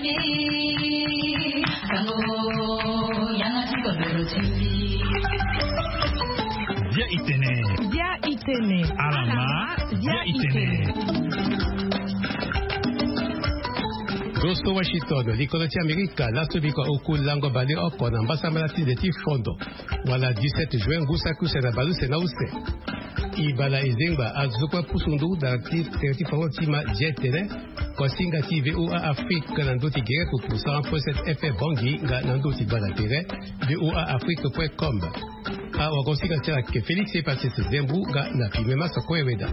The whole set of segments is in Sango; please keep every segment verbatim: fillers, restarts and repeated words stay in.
Bia itene. Bia itene. Alama. Bia itene. Gosto Washington, likolo ti Amerika, laso biko oku lango baleoko na mbasambala ti nze ti fondo. Wala dix-sept juin, ngu saki use na baleuse na use. Ibala ezengba azo kue pusu nduru da ti tere ti fango ti ma je tene. Kosinga ti VOA Afrique na ndö ti gere pour cent point sept F M Bangui nga na ndö ti gbanda tere. VOA Afrique point com. Awa kosinga ti ala ke Félix Epasis Zembu nga na pime masa kue weda.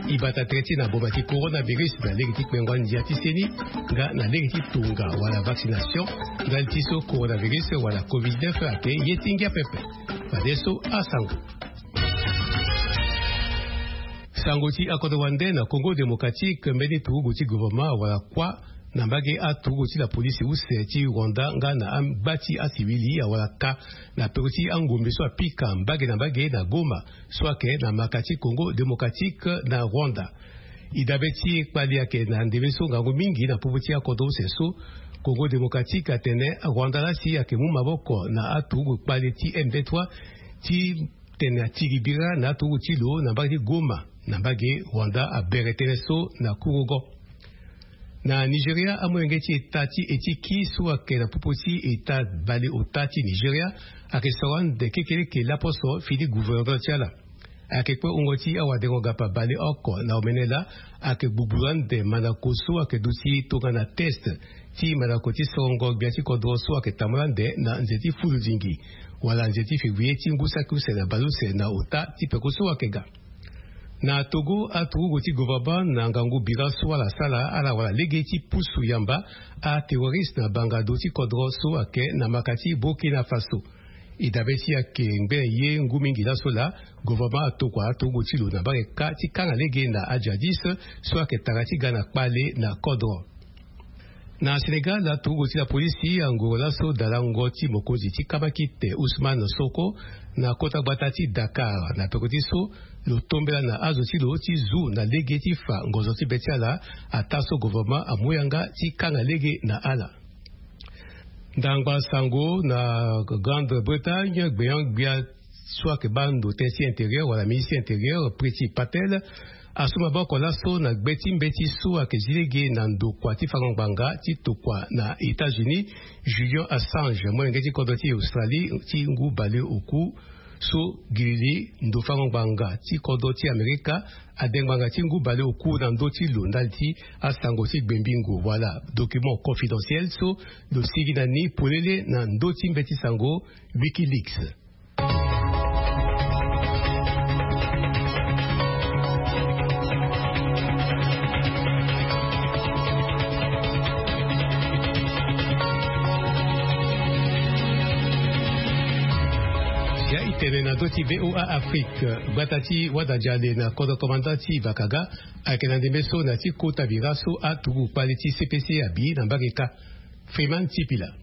Ibata tere ti na boma ti coronavirus na lege ti kpengo ndia ti seni nga na lege ti tonga wala vaccination. Ndali ti so coronavirus wala covid neuf ake ye ti ngia pepe. Fadeso asango. Sango ti akodro wande na Congo Démocratique, mbeni turugu ti gouvernement wala kuâ na mbage aturugu ti la police use ti Rwanda nga na angba ti asivili awala ka na peko ti angombe so apika mbage na mbage na Goma so ayeke na maka ti Congo Démocratique na Rwanda. E dabe ti kpali ayeke na ndembe so ngangu mingi na popo ti akodro use so. Congo Démocratique atene Rwanda laa si ayeke mu maboko na aturugu kpale ti M vingt-trois ti tene atiri bira na aturugu ti lo na mbage ti Goma na mbage Rwanda abere tënë so na kurugo. Na Nigeria, amolenge ti eta ti etiki so ayeke na popo ti eta baleota ti Nigeria ayeke soro ande kekeleke laposo fini gouverneur ti ala. Ayeke kue wungo ti awadengo gapa baleoko na omene laa ayeke gbugburu ande mandako so ayeke duti tongana test ti mandako ti sorongo gbia ti kodro so ayeke tambula ande na nze ti fuludingi wala nze ti février ti ngu saki use na baleuse na ota ti peko so ayeke ga. Na Togo, aturugu ti gouvernement na ngangu bira so ala sara ala wala lege ti pusu yamba aterroriste na bangado ti kodro so ayeke na maka ti Burkina Faso. E dabe ti ayeke ngbene ye ngu mingi laso laa gouvernement atokua aturugu ti lo na mbage kâ ti kanga lege na ajihadiste so ayeke tara ti ga na kpale na kodro. Na Sénégal, aturugu ti la polisi angoro laso dalango ti mokonzi ti kamakite Ousmane Sonko na kota gbata ti Dakar na peko ti so lo tombela na azo ti lo ti zu na lege ti fa ngonzo ti be ti ala ataa so gouvernement amu yanga ti kanga lege na ala. Ndangba sango na Grande-Bretagne, gbenyo-gbia so ayeke baa ndo tënë ti intérieur wala ministre ti intérieur Priti Patel asu maboko laso na gbe ti mbeti so ayeke zi lege na ndokua ti fango ngbanga ti tokua na États-Unis, Julian Assange, molenge ti kodro ti Australie ti ngu baleoku so gilili ndo fango ngbanga ti kodro ti Amerika ade ngbanga ti ngu baleoku na ndö ti lo ndali ti asango ti gbembingo wala document confidentiel so lo sigi na ni polele na ndö ti mbeti sango Wikileaks. Ya itene na ndö ti VOA Afrique, gbata ti Wadadia le na kodro komanda ti Vakaga ayeke na ndembe so na ti kota bira so aturugu kpale ti C P C abi na mbage kâ. Freeman Sipila.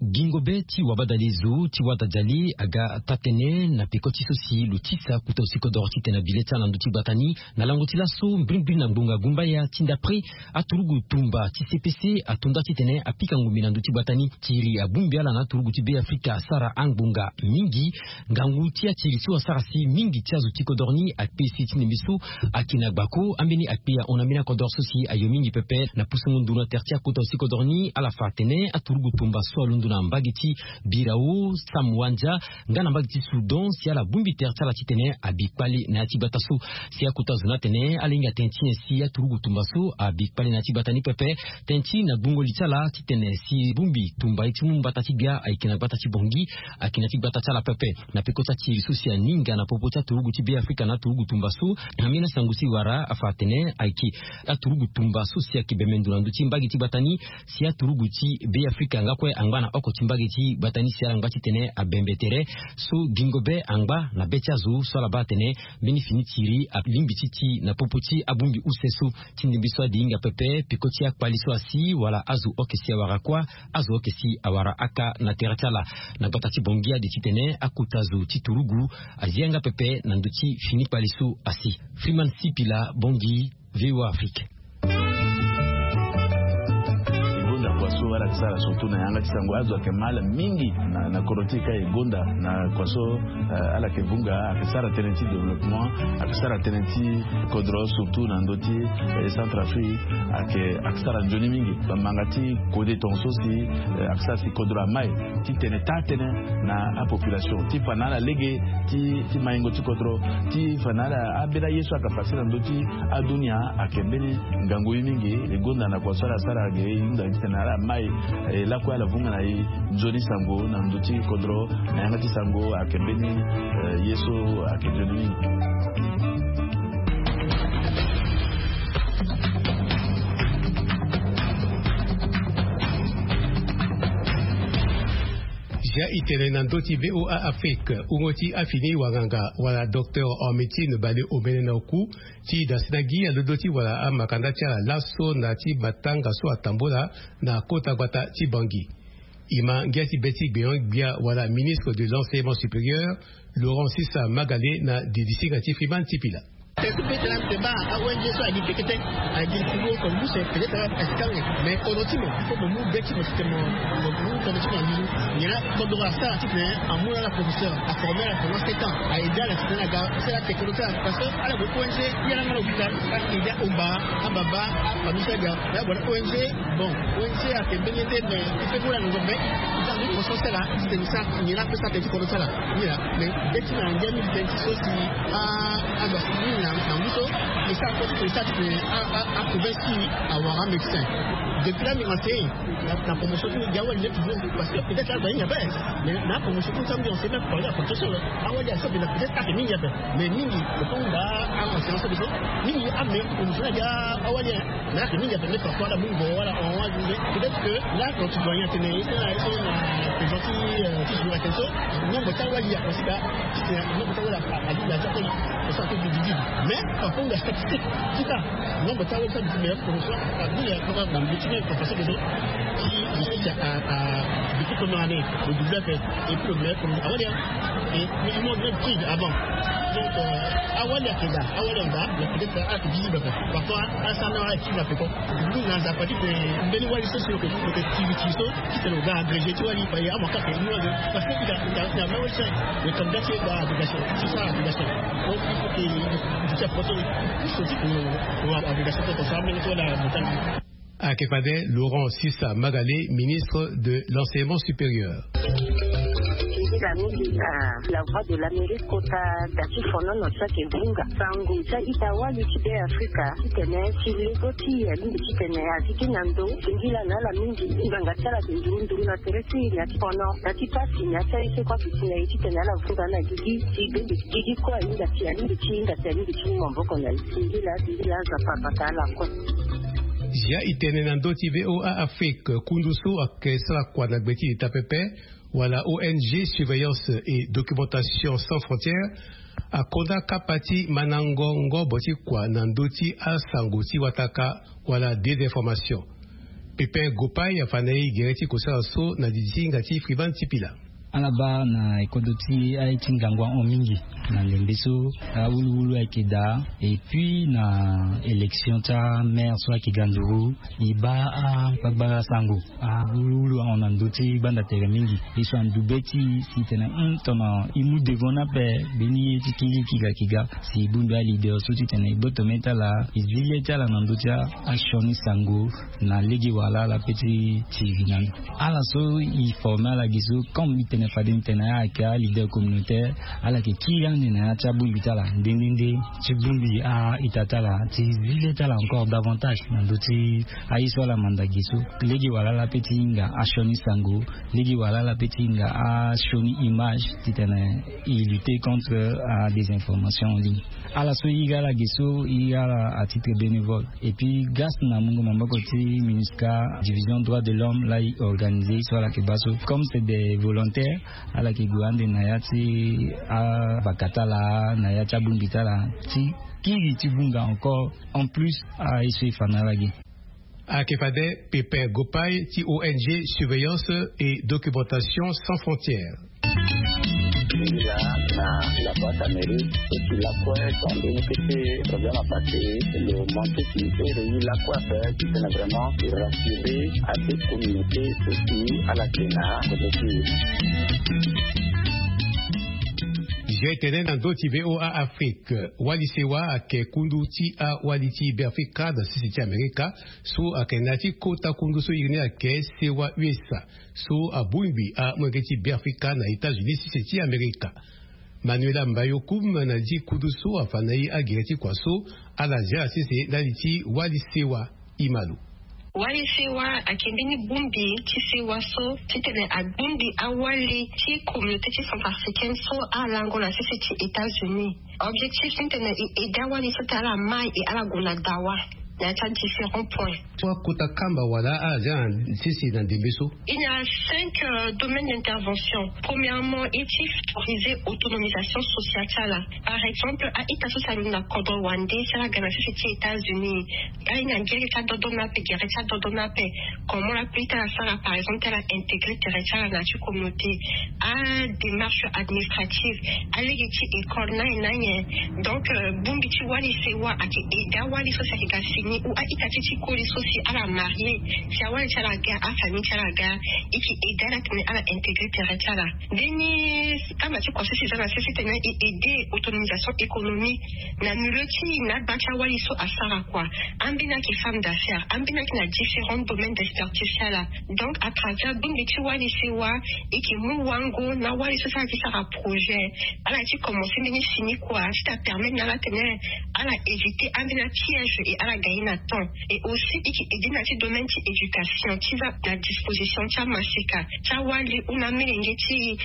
Gingo be ti wabadale zo ti Wadadia le aga taa-tënë na peko ti so si lo tisa kota zo ti kodoro titene abi le ti ala na ndö ti gbata ni. Na lango ti laso mbrimbri na ngbonga gumbaya ti ndapre aturugu tumba ti C P C ato nda titene apika ngombe na ndö ti gbata ni. Tiri abongbi ala na aturugu ti Be Afrika asara angbonga mingi. Ngangu ti atiri so asara si mingi ti azo ti kodoro ni akpe si ti ndembe so ayeke na gbako ambeni akpe ahon na mbeni akodoro so si ayo mingi pepe. Na pusu ngu nduru na tere ti akota zo ti kodoro ni ala fa atene aturugu tumba so alondo na mbage ti Birao, Samwandia nga na mbage ti Soudan si ala bongbi tere ti ala titene abi kpale na ya ti gbata so. Si akota zo ni atene ala hinga tënë ti nyen si aturugu tumba so abi kpale na ya ti gbata ni pepe. Tënë ti na gbungo li ti ala titene si bongbi tumba ye ti mu mbata ti gbia ayeke na gbata ti Bangui, ayeke na ya ti gbata ti ala pepe. Na peko ti atiri so si aninga na popo ti aturugu ti Be Afrika na aturugu tumba so, na mbeni asango si wara afa atene ayeke aturugu tumba so si ayeke bembe ndo na ndö ti mbage ti gbata ni. Si aturugu ti Be Afrika nga kue angba na oko ti mbage ti gbata ni si ala ngba titene abembe tere. So gingo be angba na be ti azo so ala baa atene mbeni fini tiri alingbi ti ti na popo ti abongbi use so. Ti ndembe so ade hinga pepe peko ti akpali so asi wala azo oke si awara kuâ, azo oke si awara aka na tere ti ala. Na gbata ti Bangui ade titene akota zo ti turugu azi yanga pepe na ndö ti fini kpali so asi. Freeman Sipila, Bangui, VOA Afrique. E gonda kua so Wala ake sara surtout na yanga ti sango azo ake mal mingi na kodro ti e ka e gonda na kua so. Ala ake vunga ake sara tënë ti développement, ake sara tënë ti kodro surtout na ndö ti Centrafrique. Ake sara nzoni mingi bamanga ti kode tonga so si ake sara si kodro amai ti tene taa tënë na apopulation ti fa na ala lege ti maingo ti kodro ti fa na ala ambeni aye so ake pase na ndö ti adunia. Ake mbeni ngangu ye mingi e gonda na kua so ala sara age e hunda titene ala mai e lakue ala vunga na e nzoni sango na ndö ti kodro na yanga ti sango ake mbeni ye so ake nzoni mingi. Zia itene na ndö ti VOA Afrique, wungo ti afini wanganga wala docteur en médecine bale omene na oku ti dasina gi alondo ti wala amakanda ti ala laso na ti matanga so atambula na kota gbata ti Bangui. E ma ngia ti be ti gbenyo-gbia wala ministre de l'enseignement supérieur, Laurent Sisa Magale na didisinga ti Freeman Tipila. Te ti be ti lani te baa a-ONG so adi pekete adi ti wo ko lusa peut-être asikanga. Mais kodro ti mo il faut mo mu be ti mo titene mo mu kodro ti mo aluzu. Nyen la kodro asara titene amu na ala professeur aforme ala pendant sept ans a aide ala titene aga sara ala te kodro ti ala parce que ala gue ONG. Ye ala nga na hôpital ala aide ahomba ababa afamille so aga. Mais ala gue na ONG. Bon, ONG ake mbeni ye nde mais il faut mu ala ngongo mais i sara nzoni conscience ti ala titene i sara nyen la ape sara tene ti kodro ti ala. Nyen la mais be ti na ngia mingi tënë ti so si a a doit ni na na ngu so e sara kue ti tene e sara titene a a a province ti awara amédecin. Depuis là mbi enseigne na na promotion ti mbi gi awali nde toujours parce que peut-être là azo ahinga ape. Mais na promotion ti mbi enseigne même parler à promotion awali aso mbi na peut-être ake mingi ape. Mais mingi lo peut hunda a enseignant so mbi so mingi ame promotion na gi awali. Mais ake mingi ape nde parfois ala mu ngo wala en wala nde peut-être que là quand tu dois rien tene e tene e tene na présent ti ti jour atene so. Nombre ti awali akosi ka ti tene nombre ti awali alingi aza koli. Oso ake dividi mais parfois nga statistique ti ka nombre ti awali so abiti meilleur promotion abule akoma na mbi ti meme professeur de so ti mbi ti a a depuis première année au début ape. Et puis le meilleur promotion awali et minimum même prix avant. Donc awali ake da awali anga mais peut-être ake visible ape. Parfois ala sara na ala active ape quoi. Ngu na nzapa ti tene mbeni wali so si lo ke lo ke tiri tiri so ti tene lo ga agrégé ti wali paye amua kake ni wali. Parce que i ga i ga i ga même wali so lo candidat ti e ga agrégation ti sara agrégation. Donc il faut que i duti apoto ni so ti tene lo agrégation so ko sara mbeni so wala lo tanga. Ake fade Laurent Sisa Magale, ministre de l'enseignement supérieur. Nzila mingi na la voix de l'Amérique kota da ti fonono ti ake vunga sango ti a-ita wali ti be Afrika titene ti lego ti alingbi titene azi ti na ndo singila na ala mingi. Nganga ti ala ake nduru nduru na tere ti na ti fono na ti pasi na ti aye so kue ake si na e titene ala vunga na gigi ti gbende ti gigi kue ahinga si alingbi ti hinga si alingbi ti mu maboko na e. Singila singila aza papa ka ala kue. Zia itene na ndö ti VOA Afrique, kundu so ake sara kua na gbe ti ita pepe wala ONG Surveillance et Documentation Sans Frontières akonda kapa ti mandango ngobo ti kua na ndö ti asango ti wataka wala désinformation. Pépin Gopay afanda ye gere ti kosala so na didisinga ti Frivan Tipila. Ala baa na e kodro ti aye ti ngangu ahon mingi na ndembe so awuluwulu ayeke daa. Et puis na élection ti amaire so ayeke ga nduru e baa akpakpara sango awuluwulu ahon na ndö ti gbanda tere mingi. E so andu be ti e si tene hum tongana e mu devant ni ape mbeni ye ti kiri kiga kiga si e bongbi aleader so titene e gboto mê ti ala e zi le ti ala na ndö ti asioni sango na lege wala ala pe ti tiri na ni. Ala so e forme ala gi so comme e tene fade ni tene ayeke aleader communautaire ala yeke kiri ande na ya ti abongbi ti ala nde nde nde ti bongbi a-ita ti ala ti zi le ti ala encore davantage na ndö ti aye so ala manda gi so. Lege wala ala pe ti hinga asioni sango lege wala ala pe ti hinga asioni image titene e lutter contre adésinformation en ligne. Ala so e iri ala ge so e iri ala à titre bénévole. Et puis grâce na mungo maboko ti MINUSCA, division droit de l'homme la e organiser so ala yeke baa so comme c'est des volontaires ala yeke gue ande na ya ti abaka ti ala na ya ti abongbi ti ala ti kiri ti vunga encore en plus aye so e fa na ala ge. Ayeke fade Pépin Gopay ti ONG Surveillance et Documentation Sans Frontières. Ila na la boîte à mérite eti lakue tande ni kete problème à passer. Le manque ti ere yi lakue ape ti tene vraiment rassurer à des communautés aussi à la tena kote ti. Zi tene na ndö ti VOA Afrique, wali sewa ayeke kundu ti awali ti Beafrika na sese ti Amerika, so ayeke na ya ti kota kundu so iri ni ayeke sewa U S A, so abongbi amolenge ti Beafrika na États-Unis sese ti Amerika. Manuela Mbayokoum na li ti kundu so afa na e agere ti kua so ala zia na sese ndali ti wali sewa. Imalo. Wali sewa ayeke mbeni bongbi ti sewa so titene abongbi awali ti communauté ti centrafricaine so alango na sese ti États-Unis. Objectif titene e aide awali so ti ala mai e ala gue na dawa na ya ti adiférent point. Akota kamba wala ala zia na sese na ndembe so. Il y a cinq euh, domaines d'intervention. Premièrement, e ti favoriser autonomisation sociale ti ala. Par exemple, a-ita so si alondo na kodro wande si ala ga na sese ti États-Unis, ala ye na gere ti adodo ni ape, gere ti adodo ni ape. Comment la plus ti ala sara, par exemple, ti ala intégrer tere ti ala na ya ti communauté, adémarche administrative, alege ti école na ye na ye. Donc euh, bongbi ti wali sewa ayeke aide awali so si ayeke ga fini ou a-ita ti ti koli so si ala marié, si awali ti ala ga, afamille ti ala ga, e yeke aide ala titene ala intégrer tere ti ala. Mbeni kama ti kua so si e za na sese titene e aide autonomisation économique na milieu ti na agba ti awali so asara kua. Ambeni ayeke femme d'affaires, ambeni ayeke na différents domaines d'expertise ti ala. Donc à travers bongbi ti wali sewa, e yeke mu wango na awali so si ala ti sara projet, ala ti commencer mbeni fini kua ti ta permettre na ala titene ala éviter ambeni apiège et ala gagner na temps. Et aussi e yeke aide na ti domaine ti éducation ti za na disposition ti amaseka ti awali ou na amolenge ti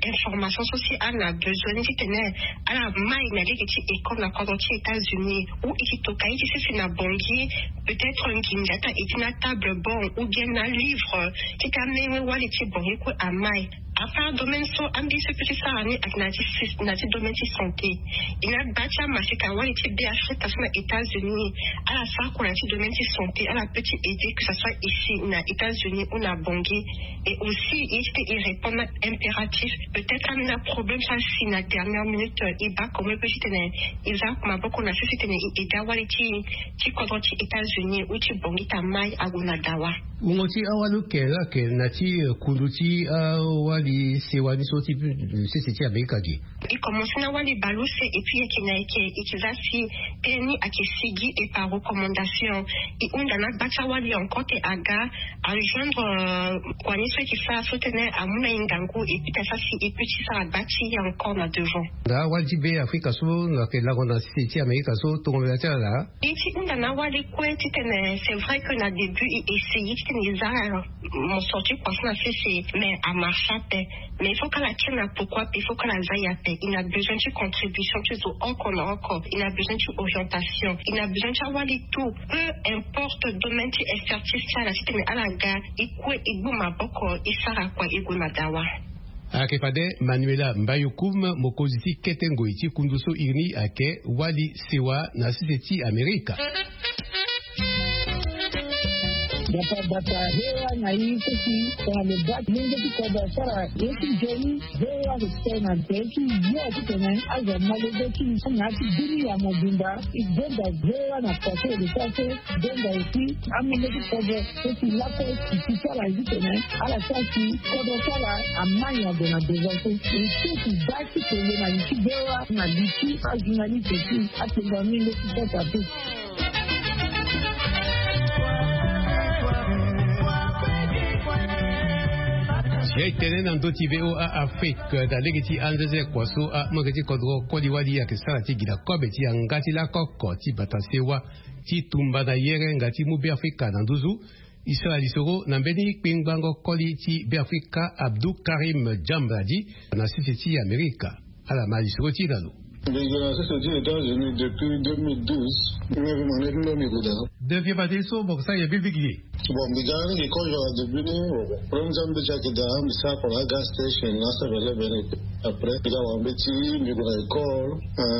information so si ala na besoin ni titene ala mai na lege ti école na kodro ti États-Unis, ou e yeke toka ye ti sese na Bangui, peut-être nginza ti aide na table banc ou bien na livre ti ta menge wali ti Bangui kue amai. Après domaine so ambeni so e peut ti sara ni ayeke na ti sys- na ti domaine ti santé. E na gba ti amaseka wali ti Beafrika so na États-Unis, ala sara kua na ti domaine ti santé, ala peut ti aider que ça soit ici na États-Unis ou na Bangui. Et aussi e ti te e répondre na impératif, peut-être ambeni aproblème so asi na dernière minute, e baa comment e peut ti tene e za maboko na sese titene e aide awali ti ti kodro ti États-Unis ou ti Bangui ti amai ague na dawa. Mungo ti awali oke ayeke na ti eh, kundu ti awali sewa ni so ti eh, sese ti Amerika ge. E commencer na wali baleuse et puis e yeke na e yeke e yeke za si tënë ni ayeke sigi et par recommandation. E hunda na agba ti awali encore te aga ajoindre euh, kua ni so e yeke sara so tënë amu na e ngangu et puis ta sara si e peut ti sara gba ti e encore na devant. Na awali ti Beafrika so na yeke lango na sese ti Amerika so tongomela ti ala. E ti hunda na awali kue titene c'est vrai que na début e essayer titene e za mon sorti kua so na sese, mais amarche ape. Mais il faut kala tien na pourquoi pe, il faut kala za ya pe. Il a besoin ti contribution ti zo oko na oko. Il a besoin ti orientation. Il a besoin ti awali tout. Peu importe domaine ti expertise ti ala titene ala ga e kue e gbu maboko e sara kua e gue na dawa. Ayeke fade Manuela Mbayokoum, mokonzi ti kete ngoi ti kundu so iri ni ayeke wali sewa na sese ti Amerika. Bata bata hewa na ye so si tongana lo baa ti lenge ti kodro asara ye ti nzoni. Hewa lo tene na nze ti yo titene azo amolenge ti na ya ti bini ya mobimba. E benda hewa na pase lo sara so. Benda aussi amolenge ti kodro so si lakue ti ti sara ye titene ala sara si kodro ti ala amai ague na devant so. E so ti baa ti tene na li ti hewa na li ti ajournaliste ti atengo amolenge ti kodro ape. Si e tene na ndö ti VOA Afrique na lege ti anzeze kua so amolenge ti kodro koli wali ayeke sara ti gi na kobe ti yanga ti lakoko ti bata sewa ti tumba na yere nga ti mu Beafrika na nduzu. E sara lisoro na mbeni kpengbango koli ti Beafrika Abdou Karim Djambradi na sese ti Amerika. Ala ma lisoro ti e na lo. Mbi gue na sese ti États-Unis depuis deux mille douze. Mbi mbi mane ti mbi mbi gue daa. Depuis fade so mo yeke sara nyen bigibigi? Bon, mbi ga ni mbi kozo na début ni. Premier ti mbi ti ayeke daa mbi sara kua na agas station na seven eleven. Après mbi ga wara mbeti mbi gue na école.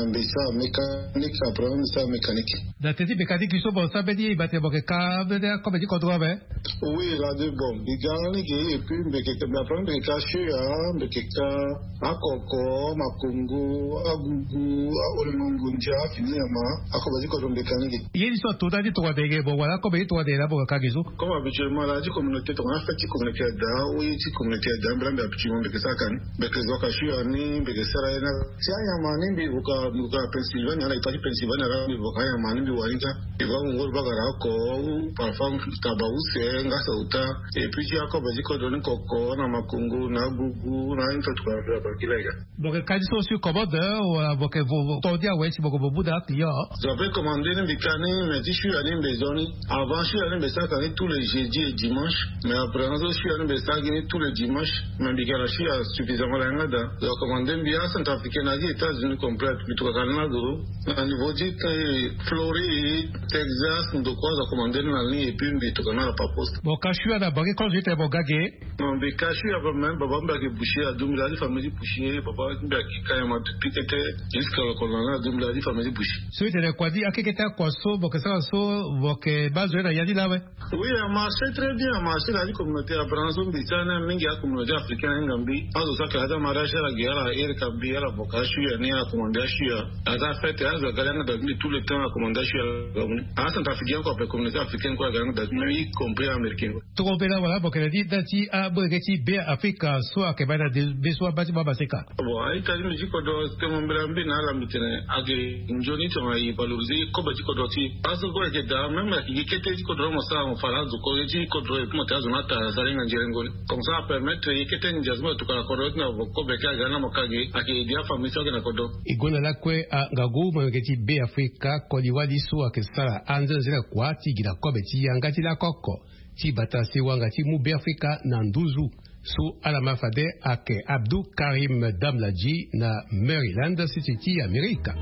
Mbi sara mécanique, après mbi sara mécanique. Da teti mbi ka ni gi so bon sa mbeni e bate mo yeke ka mbeni akobe ti kodro ape. Oui, la de bon mbi ga ni gi. Et puis mbi yeke ka mbi apre mbi yeke ka sio ya mbi yeke ka akoko, makongo, agugu, aolengo ngondia, afini nyama. Akobe ti kodro mbi yeke ka ni gi. Ye ni so ato nda ti tongana dege bon wala akobe ti tongana dege na mo yeke ka gi so. Comme habituellement la ti communauté tongana fête ti communauté ada ou ye ti communauté ada mbela mbi habituellement mbi yeke sara ka ni. Mbi yeke zo ka sio ya ni mbi yeke sara ye na ti anyama ni mbi voka mbi voka na Pennsylvania ala ita ti Pennsylvania ala mbi voka anyama ni mbi wani ka. Mbi va wungo ti bagara oko ou parfois taba use nga sauta. Et puis ti akobe ti kodro ni koko na makongo na agugu na ain to tuka na mbi abakila ega. Mo yeke ka ni so sur commande wala mo yeke vo to ndia awe si mo yeke mo mu na aclient? Zo ape commande ni mbi ka ni mais ti sio ya ni mbi zo ni. Avant sio ya ni mbi sara ka ni tous les jeudis et dimanche. Mais après na so sio ya ni mbi sara gi ni tous les dimanches. Mais mbi ga na sio ya suffisamment la yanga da. Zo commande mbi acentrafricain na gi États-Unis complète mbi tuka ka ni na zo. Na niveau ti Floride, Texas ndokua zo commande ni na ni et puis mbi tuka na la par poste. Mo ka sio ya na bangi congé ti tene mo ga ge? Non mbi ka sio ya même baba mbi ayeke boucher adumbila ti famille ti boucher baba mbi ayeke ka nyama depuis kete. Jusqu'à lokolo na ni adumbila ti famille ti boucher. So e tene kua ti akekete akua so mo yeke sara so mo yeke baa zo ye na ya ti lawe? Oui, amarché très bien amarché na ya ti communauté abraham so mbi ti ani mingi acommunauté africaine ahinga mbi. Azo so akela ti amariage ala ge ala iri ka mbi ala voka asio ya ni ala commande asio ya. Aza fête azo aga li yanga da mbi tout le temps ala commande asio ya. Acentrafricain kue ape communauté africaine kue aga yanga da mbi y compris américain kue. Tongana mbela wala bokele ni nda ti amolenge ti be afrika so ayeke baa na de be so abaa ti mo amaseka? Bon a-ita ti mbi ti kodro temo mbela mbi na ala mbi tene ayeke nzoni tongana e valoriser kobe ti kodro ti e. Azo kue ayeke daa même ayeke gi kete ti kodro ni mo sara mo fa na azo kue ti kodro e puis mo tene azo ni ata aza lenga nzerengo ni. Comme ça apermettre ye kete ndia so mo tokua na kodro ti na vo kobe ti aga ni na mo ka ge ayeke aider afamille so ayeke na kodro. E gue na lakue angangu molenge ti be afrika koli wali so ayeke sara anzenanzena kua ti gi na kobe ti yanga ti lako oko ti bata sewanga ti mu be afrika na nduzu. So ala ma fade ayeke abdou karim damladji na maryland siti ti amerika.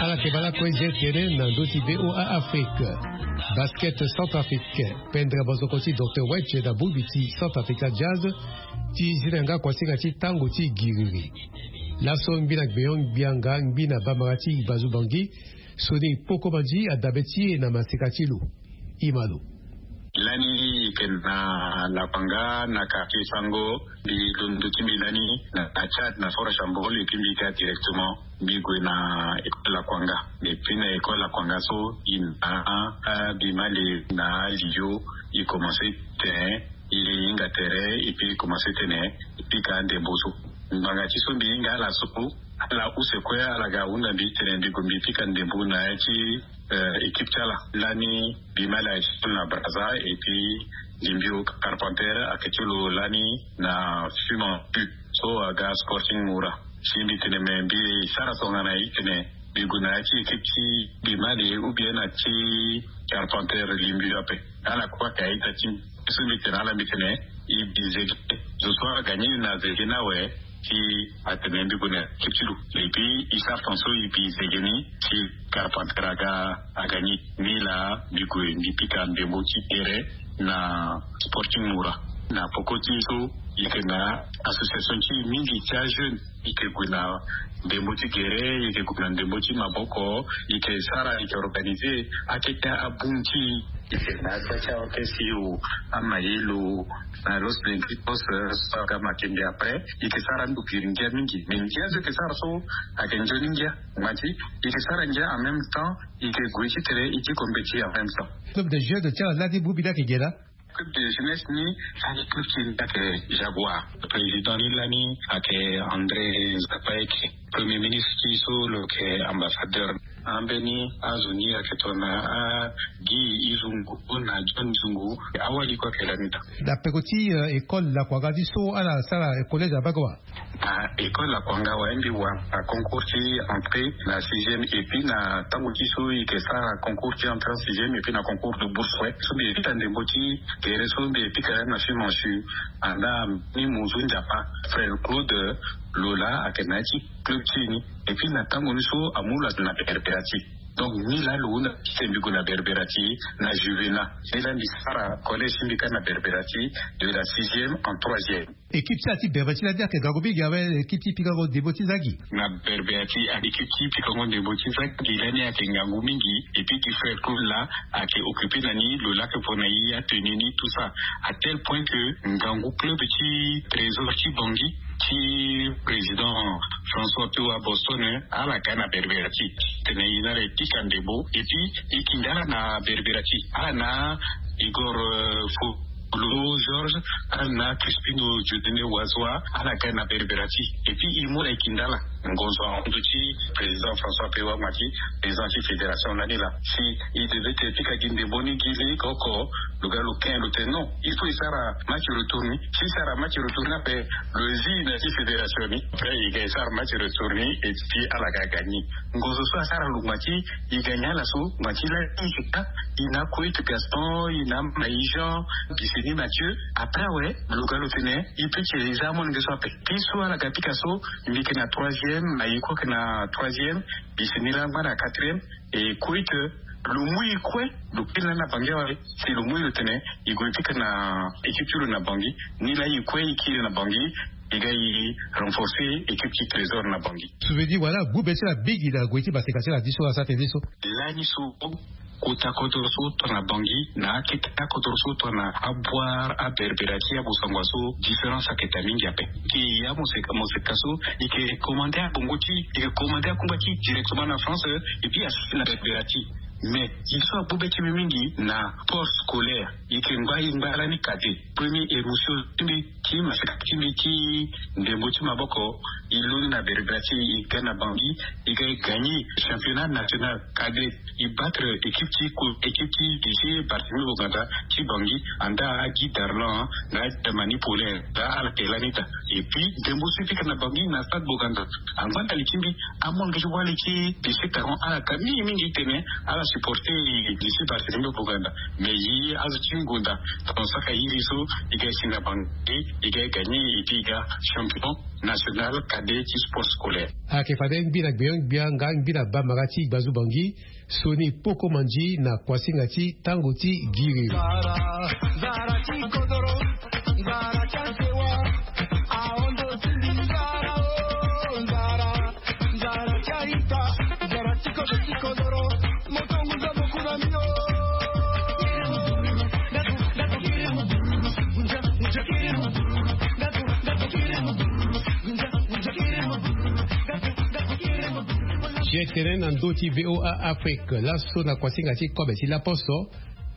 Ala yeke baa lakue zia tene na ndö ti voa afrique. Basket centrafrique pendre mosoko ti docteur wedge na bongbi ti centrafrique jazz. Ti zi na yanga kuasinga ti tango ti giriri. Laso ngbi na gbenyon ngbianga ngbi na bambara ti bazubangi. Soni poko manzi adabe ti e na maseka ti lo. Imalo. Lani ike na lakwanga na quartier sango. Mbi londo ti mbi lani na tchad na fort chambol eke mbi ga directement. Mbi gue na école lakwanga. Epui na école lakwanga so i na abima le na alio i commence ten. I hinga tere epui i commence tene i pika ndembo so. Ngbanga ti so mbi hinga ala so ala use kue ala ga hunda mbi tene mbi gue mbi pika ndembo na ya ti équipe ti ala. Lani mbi ma ala ti na braza epui limbio carpenter ayeke ti lo lani na fuman pu so aga sporting mura. Si mbi tene me mbi sara tongana i tene mbi gue na ya ti équipe ti mbi ma le ou bien na ti carpenter limbio ape. Ala kue ayeke a-ita ti mbi. So mbi tene ala mbi tene i bi zege zo so agagni na zege ni awe. Ti atene mbi gue na équipe ti lo epui i sara ton so i bi zege ni ti carpenter aga agagni ni laa mbi gue mbi pika ndembo ti gere na sporting mura. Na poko ti e so i yeke na association ti e mingi ti ajeune. I yeke gue na ndembo ti gere i yeke gue na ndembo ti maboko. I yeke sara i yeke organiser akete abun ti e. I yeke na aza ti aorchestre yo amayelo na los lengitos so aga makembe après i yeke sara ndo biri ngia mingi mais ngia so i yeke sara so ayeke nzoni ngia. Ngba ti i yeke sara ngia en même temps i yeke gue ti tere i ti kombe ti en même temps. Club de jeu de ti ala laa ti bongbi ni ayeke ge laa? Club de jeunesse ni lani club ti e ni ayeke jaguar. Président ni lani ayeke andré zapaeke. Premier ministre ti so lo yeke ambassadeur. Ambeni azo ni ayeke tongana agi izungu na john zungu. Awali kue ayeke lani daa. Na peko ti école lakua nga ti so ala sara collège abaka wa? Na école lakua nga wa mbi wa na concours ti entrée na sixième et puis na tango ti so i yeke sara concours ti entrée en sixième et puis na concours de bourse, so mbi yeke pika ndembo ti gere so mbi yeke pika lani na fimance. Anda ni monzu nzapa, frère claude lola ayeke na ya ti club ti e ni. Et puis na tango ni so amu lo na berberati. Donc ni laa lo hunda ti sembi gue na berberati na juvena. Ni laa mbi sara collège ti mbi kâ na berberati de la sixième en troisième. Équipe ti ala ti berberati lani ayeke ngangu mingi awe? Équipe ti pikango ndembo ti zagi na berberati. Équipe ti pikango ndembo ti zagi lani ayeke ngangu mingi. Et puis gi frère claude laa ayeke occupé na ni lo laa ayeke pona ye atenu ni tout ça, à tel point que ngangu club ti trésor ti bangi ti président françois pewa boston ala ga na berberati. Tene ye na ala e pika ndembo et puis e kinde ala na berberati. Ala na igor fo lo georges, ala na crispino jodene wazoa, ala ga na berberati. Et puis e mu ala e kinde ala ngonzo ahundu ti président françois pewa ma ti président ti fédération lani laa si e devait te pika gi ndembo ni gi lege oko. Lo ga lo kin lo tene non, il faut e sara match retour ni. Si e sara match retour ni ape lo zi na ti fédération ni. Après e ga e sara match retour ni et puis ala ga gagné. Ngonzo so asara lo ngba ti e gagné ala so ngba ti lani e ka. E na kuit gaston, e na maï jean, bisini mathieu. Après awe lo ga lo tene e pe ti e za amolenge so ape. Ti so ala ga pika so, mbi yeke na troisième, maï kue ayeke na troisième, bisini langba na quatrième. E kuit lo mu e kue lo kiri lani na bangi awe. Si lo mu e lo tene e gue pika na équipe ti lo na bangi. Ni laa e kue e kiri na bangi. E ga e renforcer équipe ti trésor na bangi. Souveni wala gbu be ti ala mingi na gue ti maseka ti ala ti so asara tene so. Lani so kota kodoro so tongana bangi na akete akodoro so tongana aboire aberbera ti abosangua so différence aketa mingi ape. Ke ya moseka moseka so e ke commande abongo ti e ke commande akungba ti directement na france. Et puis asi na berbera ti mais ye so agbu be ti mbi mingi na port scolaire. E ke ngba e ngba lani kade premier émotion ti mbi ti maseka ti mbi ti ndembo ti maboko. E loni na berbera ti e ga na bangi e ga e gagné championnat national kade. E battre équipe ti équipe ti lycée barthélemy boganda ti bangi anda agi darlan na germanie paulin. Nda ala ke lani daa. Et puis ndembo so e pika na bangi na stade boganda. Angba ndali ti mbi amolenge ti wali ti lycée taron ala ka mingi mingi tene ala supporter lycée barthélemy boganda. Mais ye azo ti ngonda tongana saka iri so e ga e si na bangi e ga e gagné et puis e ga champion national kade ti sport scolaire. Ayeke fade ngbi na gbeon gbia nga ngbi na bamara ti gbazu bangi. Soni poko manzi na kuasinga ti tango ti giriri. Ye tene na ndö ti voa afrique laso na kuasinga ti kobe ti laposo.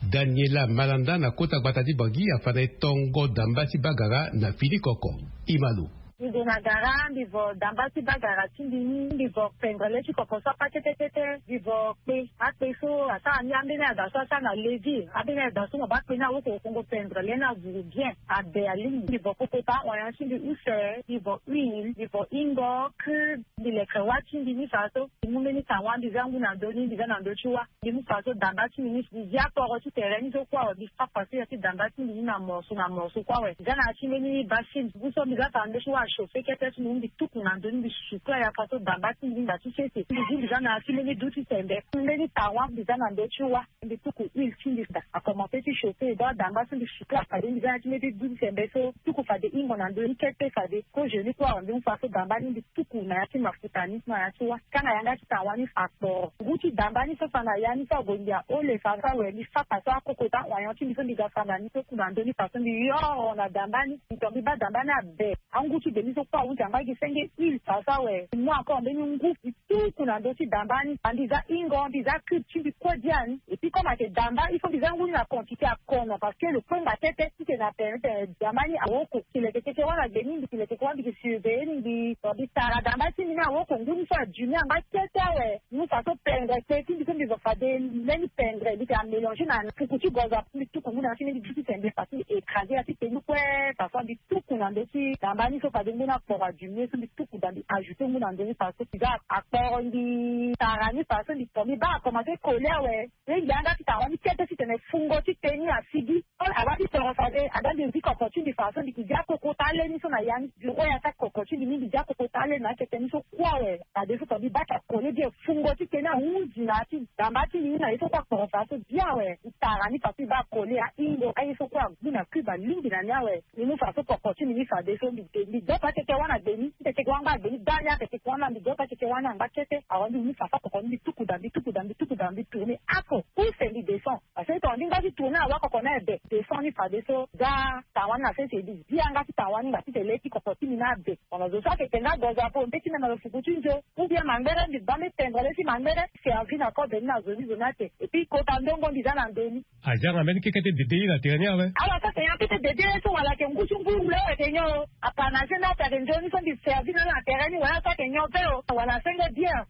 Daniela malanda na kota gbata ti bangi afa na e tongo damba ti bagara na fini koko. Imalo. Mbi gue na gara mbi vo damba ti bagara ti mbi ni mbi vo pendre le ti koko so apa ketekete mbi vo kpe akpe so asara ni ambeni ada so asara na levi ambeni ada so mo baa kpe ni awoko okongo pendre le ni avuru bien. Abe alingbi mbi vo kokota oyan ti mbi use mbi vo huile mbi vo ingo cube. Mbi leke wâ ti mbi ni fa so mbi mu mbeni tangwa mbi za ngu na ndö ni mbi za na ndö ti wâ. Mbi mu fa so damba ti mbi ni mbi zi akporo ti tere ni so kue awe mbi fa fa so ya ti damba ti mbi ni na morso na morso kue awe mbi za na ya ti mbeni basin ngu so mbi za fa na ndö ti wâ achauffe kete so mbi mu mbi tuku na ndö ni mbi suku aya fa so damba ti mbi ni nda ti sese mbi zi mbi za na ya ti mbeni du ti sembe mbeni tangwa mbi za na ndö ti wâ. Mbi tuku huile ti mbi daa akomanse ti chauffe donc damba ti mbi suku afade mbi za na ya ti mbeni du ti sembe so tuku fade ingo na ndö ni kete fade. Ko jeu ni kue awe mbi mu fa so damba ni mbi tuku na ya ti mafuta ni na ya ti wâ. Kanga yanga ti tangwa ni akporo ngu ti damba ni so fa na ya ni so ague mbi aole fa so awe mbi fa fa so akokota oyan ti mbi so mbi ga fa na ni so ku na ndö ni fa so mbi yoro na damba ni mbi to mbi baa damba ni abe. Angu ti Demi so kue ahunzi angba gi senge huile fa so awe. Mu encore mbeni ngu mbi tuku na ndö ti damba ni. Mbi za hingo, mbi za cube ti mbi kue bia ni. Et puis comme ayeke damba il faut mbi za ngu ni na quantité akono parce que lo kue nga tete ti tene na pene tene damba ni awoko. Mbi leke keke wâ na demi, mbi leke keke wâ, mbi ke surveiller ni, mbi tara damba ti mbi ni awoko ngu ni so adimi angba kete awe. Mu fa so pendre te ti mbi so mbi zo fade mbeni pendre mbi tene amélanger na fuku ti gozo apo mbi tuku ngu na ya ti mbeni du ti tene mbi fa ti mbi écraser ya ti tenu kue. Fa so mbi tuku na ndö ti damba ni so fade ngu ni akporo adimier so mbi tuku da mbi ajouter ngu na ndö ni fa so mbi za akporo mbi tara ni fa so mbi to mbi baa akomanse coller awe. Mbi yanga ti tara ni kete ti tene fungo ti tenu asigi. Ala ti toro fade ada mbi zi koko ti mbi fa so mbi ki dia koko ta le ni so na ya ni. Mbi ro ya ta koko ti mbi ni mbi dia koko ta le na akete ni so kue awe. Fade so to mbi baa ti akole bien fungo ti tenu ahunzi na ya ti damba ti mbi ni na ye so kue akporo fa so bien awe. Mbi tara ni fa so mbi baa akole ahingo aye so kue agu na cube alingbi na ni awe. Mbi mu fa so koko ti mbi ni fade so mbi de mbi dopa keke wâ na demi. Mbi keke wâ angba demi da ni akeke wâ na mbi dopa keke wâ ni angba kete awe mbi mu fa so koko ni mbi tuku da mbi tuku da mbi tuku da mbi tourner ako. Use mbi descend. Parce que tongana mbi ngba ti tourner awa koko ni aye be descend ni fadeso. Za tanga wani na sese mbi zi yanga ti tanga wani nga ti tene le ti koko ti mbi ni abe. Tongana zo so ayeke tene nga gozo apo mbeti meme na lo fuku ti nzo. Ou bien mangbere mbi baa mbi tendre le ti mangbere. Servi na kobe ni na zo ni zo ni ate. Et puis kota ndongo mbi za na ndö ni. Aza nga mbeni keke ti dede ye na tere ni awe. Ala so ayeke nyon kete dede ye so wala ayeke ngu ti ngu wule ayeke nyon. Apanase nda so ayeke nzoni so mbi servi na ala na tere ni wala so ayeke nyon pe o wala asenge bien.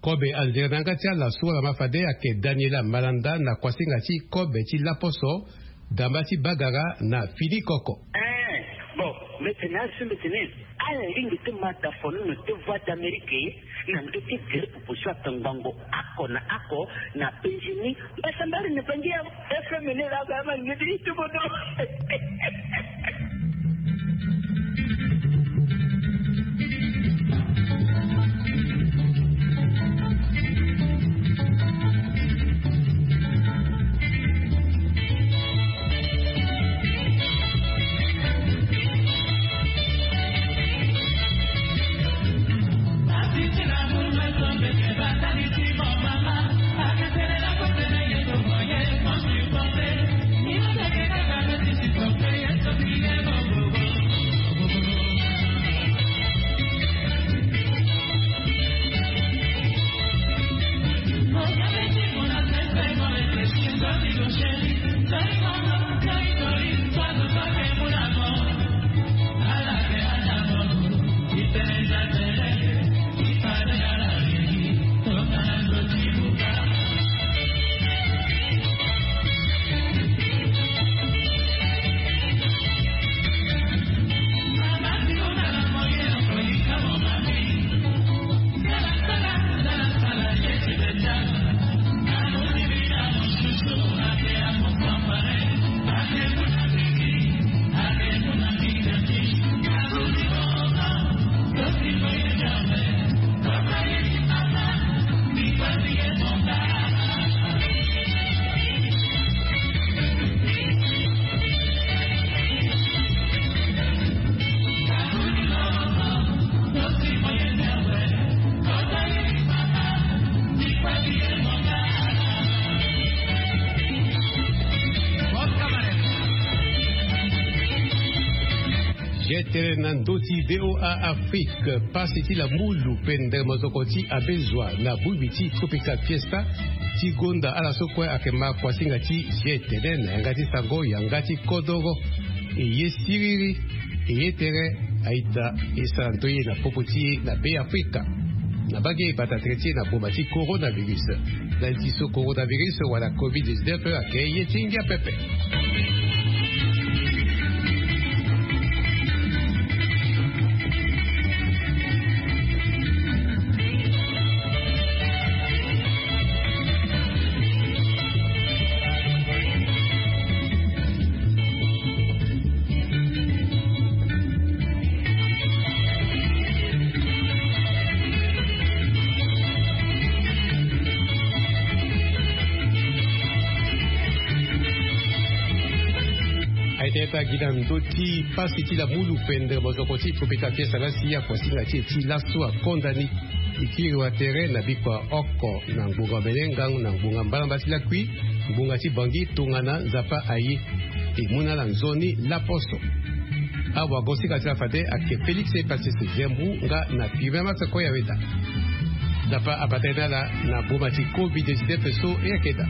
Kobe anzere na yanga ti ala so wala ma fade ayeke Daniela Malanda na kuasinga ti kobe ti laposo, damba ti bagara na fini koko. Eh, bon, mbi tene azo mbi tene ala lingbi ti ma dafono na te Voix d'Amérique na ndö ti gere proposition atongbango ako na ako na penzi ni. Mbasambari na bangi ya F M ni la ba ma ngidi ti bodo. Gtele na ndö ti VOA Afrique. Pasi ti la mulu pendere mozoko ti abezua na bongbi ti Tropical Fiesta ti gonda ala so kue ayeke ma kuasinga ti gtele na yanga ti sango yanga ti kodoro. Eye siriri, eye tere aita esara nto ye na popo ti e na Be Afrika. Na bage e bata tere ti e na boma ti coronavirus. Na li ti so coronavirus wala covid dix-neuf ayeke ye ti ngia pepe. Aye tene ta gi na ndö ti pasi ti la mulu pendere mozoko ti Tropical Fiesta la si akuasinga ti e ti laso akonda ni. E kiri wa tere na bikua oko na ngbonga mene ngangu na ngbonga mbalamba ti lakui, ngbonga ti bangi tongana Nzapa aye. E mu na ala nzoni laposo. Awago sika ti la fade ayeke félix e pase se zembu nga na pime masse kue ya weda. Dapa abata ye na ala na boma ti covid dix-neuf so e yeke daa.